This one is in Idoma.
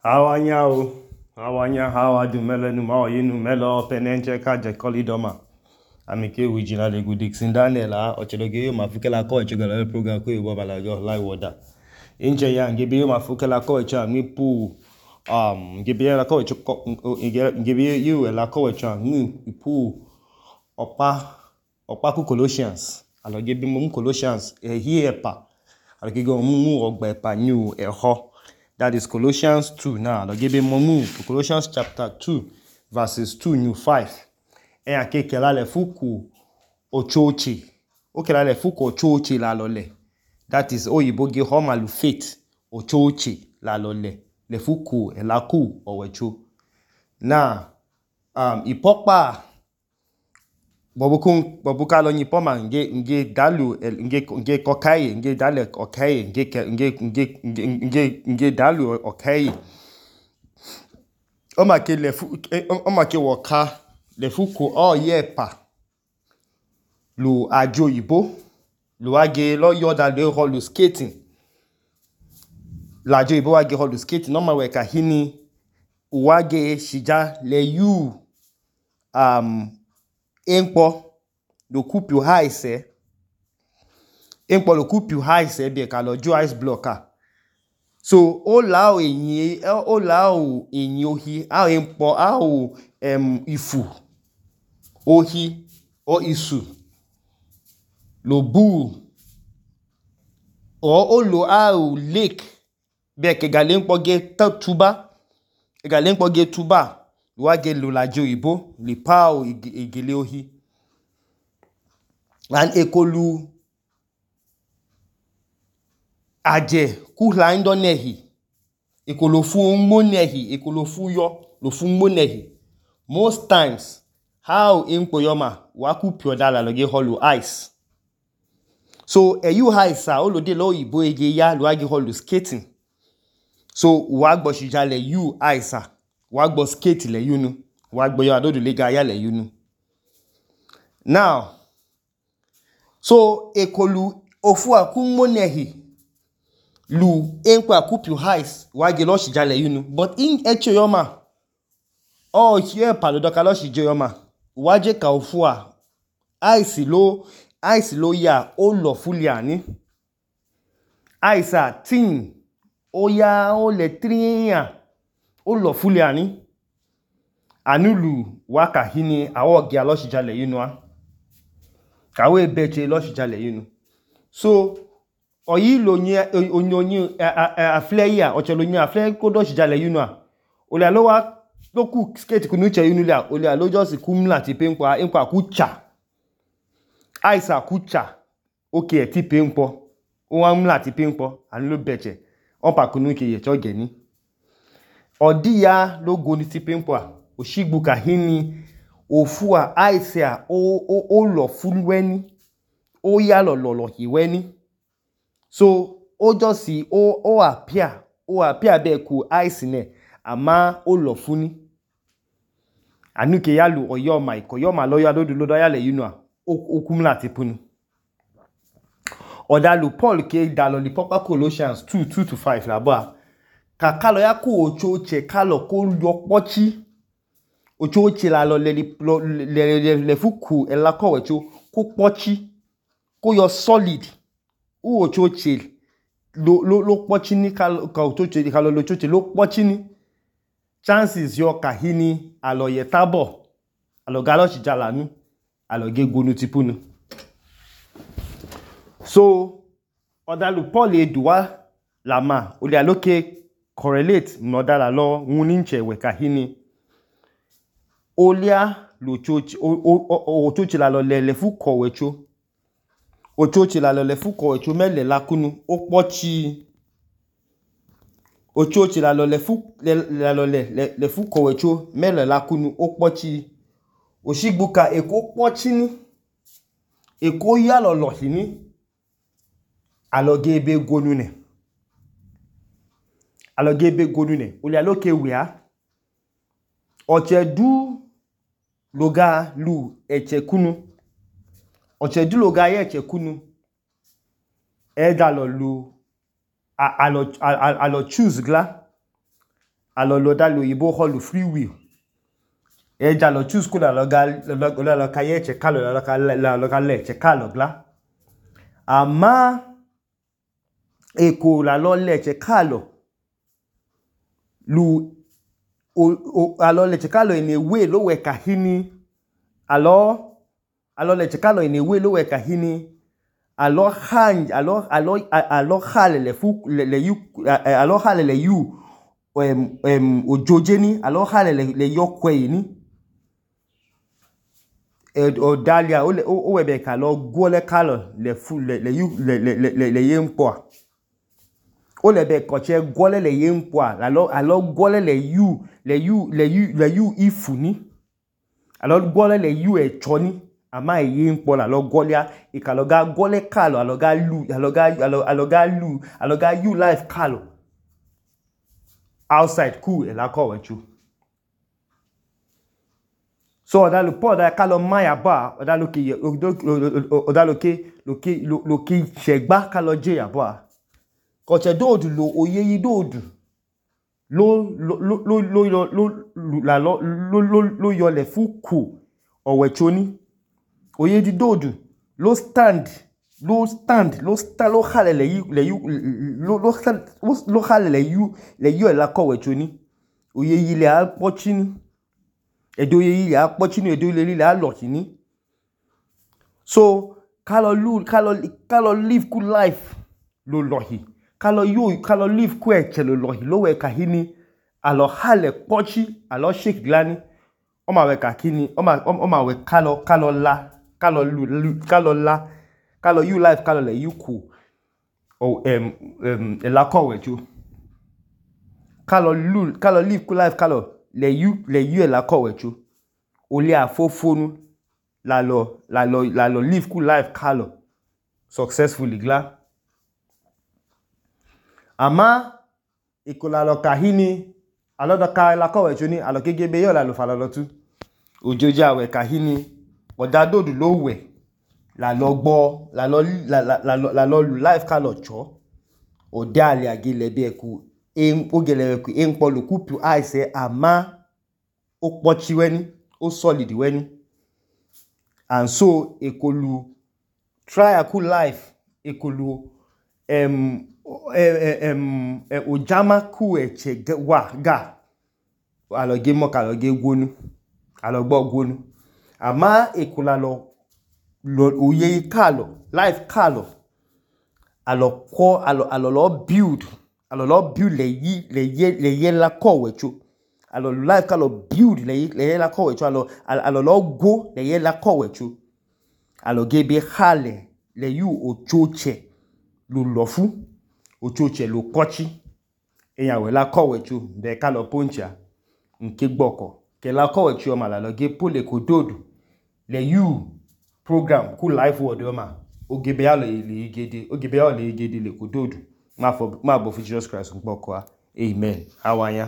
Awanyao, awanya hawadu melenu maoyinu melo penenche kaje kolidoma. Amike wijina legu Dixon Daniel ochedoge yo mafukela ko echogala program ko ibo balajo live water. Inche ya ngebe yo mafukela ko echa mipu ngebe ya la ko echo ngebe yo la ko echa mipu opa ku Colossians. Alogebe mu Colossians epa. Alogege mu ogba epa new eho. That is Colossians 2 now. Alogebe mu Colossians chapter 2 verses 2 new 5. Akekela le fuku ochochi. Okela le fuku ochochi la lole. That is oyiboge homalu faith ochochi la lole. Le fuku elaku owecho. Na ipokpa bobuka lo nyipoma nge dalu nge kokai nge dale okai nge dalu okai. Omake woka le fuku yepa lu ajo ibo lu age lo yoda le holu skating la ajo ibo wage holu skating no ma weka hini wage shija le yu enpo lo kupu haise enpo lo kupu haise be ka lo jo ice blocker. So o lao enyi ohi a enpo a ifu ohi o isu lo bu o lo a lake be ke galempo ge tuba galempo ge tuba wage lo lajo ibo li pa igele ohi and ekolu aje kuhla ndo nehi ekolofu ngmo nehi ekolofu yo lo fu ngmo nehi. Most times how enpo yoma waku piodala loge holu ice. So you ice o de lo ibo ege ya lo age holu skating. So wagbo shija le you ice wagbo skate le yunu wagbo yo adodo lega ya le yunu. Now so ekolu ofu akungmo nehi lu enpo akupu ice wage lo shija le yunu but in echo yoma here palodoka lo shija yoma waje ka ofu ice lo ya o lo fuliani ice tin o ya o le triya o lo fuliani anulu waka hini awogi alo shija le yunu kawe beche lo shija le yunu. So oyi lo onyi afle ya ochelo nyi afle ko do shija le yunu ole alo wa loku skate kunu che yunu le ole alo just kumla ti penpo enpo akucha ice akucha okay ti penpo o wa mla ti penpo anu lo beche onpa kunu ke ye choge ni odi ya logo ni ti penpo oshigbu ka hini ofu ice o lo fulweni o ya lo hiweni. So o just o appear be ku ice ne ama o lo funi anuke yalu oyoma ikoyoma lo ya dodo ya le yunu okumla ti punu. Odalu Paul ke dalo li popa Colossians 2:2-5 la ba ka kalo ya ku ochoche kalo ko yo pochi ochoche la lo le fuku ela ko wecho ko pochi ko yo solid u ochoche lo pochi ni ka ochoche kalo lo ochoche lo pochi ni chances yo kahini alo yetabo alo galo shijalanu alo gegonu tipunu. So odalu Paul eduwa lama ole aloke correlate nodala lo nguninche we kahini olia lo chochi ochochi la lo le fuko wecho ochochi la lo le fuko wecho mele lakunu opochi ochochi la lo le fuko wecho mele lakunu opochi oshigbuka eko pochi ni eko ya lo hini alogebe gonune ole aloke wea ochedu loga lu echekunu ochedu loga ye echekunu eda lo lu alo choose gla alọ dalo yibo holu free will eja lo choose ko la lo ka ye che kalo la lo ka le che kalo gla ama eko la lo le che kalo lu alo le che kalo in a way lo we kahini alo le che kalo in a way lo we kahini alo halele fu le yu ojojeni alo halele yokwe ni odalia o webe ka lo gwole kalo le yempo o lebe koche gwole le yempo alo gwole le yu ifuni alo gwole le yu echoni ama yempo la lo gwolia ikalo ga gwole kalo alo ga yu life kalo outside cool la ko wechu so odalu po da kalo maya ba odalu ke segba kalo je ya ba koche dodu lo oyeyi dodu lo yo le fuku owechoni oyedi dodu lo le yu la ko wechoni oyeyi le apochini edo yeyi le apochini edo le alochini so kalo live good life lo lohi kalo live ku eche lo lohi lo we kahini alo hale pochi alo shake glani o ma we kahini o ma we kalo yu life kalo le yu ku la ko wechu kalo live good life kalo le yu la ko wechu oli afofonu la lo live good life kalo successfully gla ama ikola lo kahini alo doka la ko wechu ni alo gegebe yo la lo fala lotu ojoja we kahini odadodu lo we la lo gbo la lo life kalo cho odali agile bi eku ogele eku enpo lo kupu aise ama o pochi weni o solid weni and so ekolu try a cool life ekolu ojama ku eche wa ga alo ge mo ka lo ge gwonu alo gbo gwonu ama ekola lo oye kalo life kalo alo lo build le ye la ko wecho alo life kalo build le ye la ko wecho alo lo go le ye la ko wecho alo ge be hale le yu ochoche lo lofu ochoche lo kochi eyan we la ko wecho de kalo poncha nke gboko ke la ko wecho ma la lo ge pole ko dodu le yu program ku life word ma ogebe ya le igede le ko dodu ma bo for Jesus Christ gboko amen awanya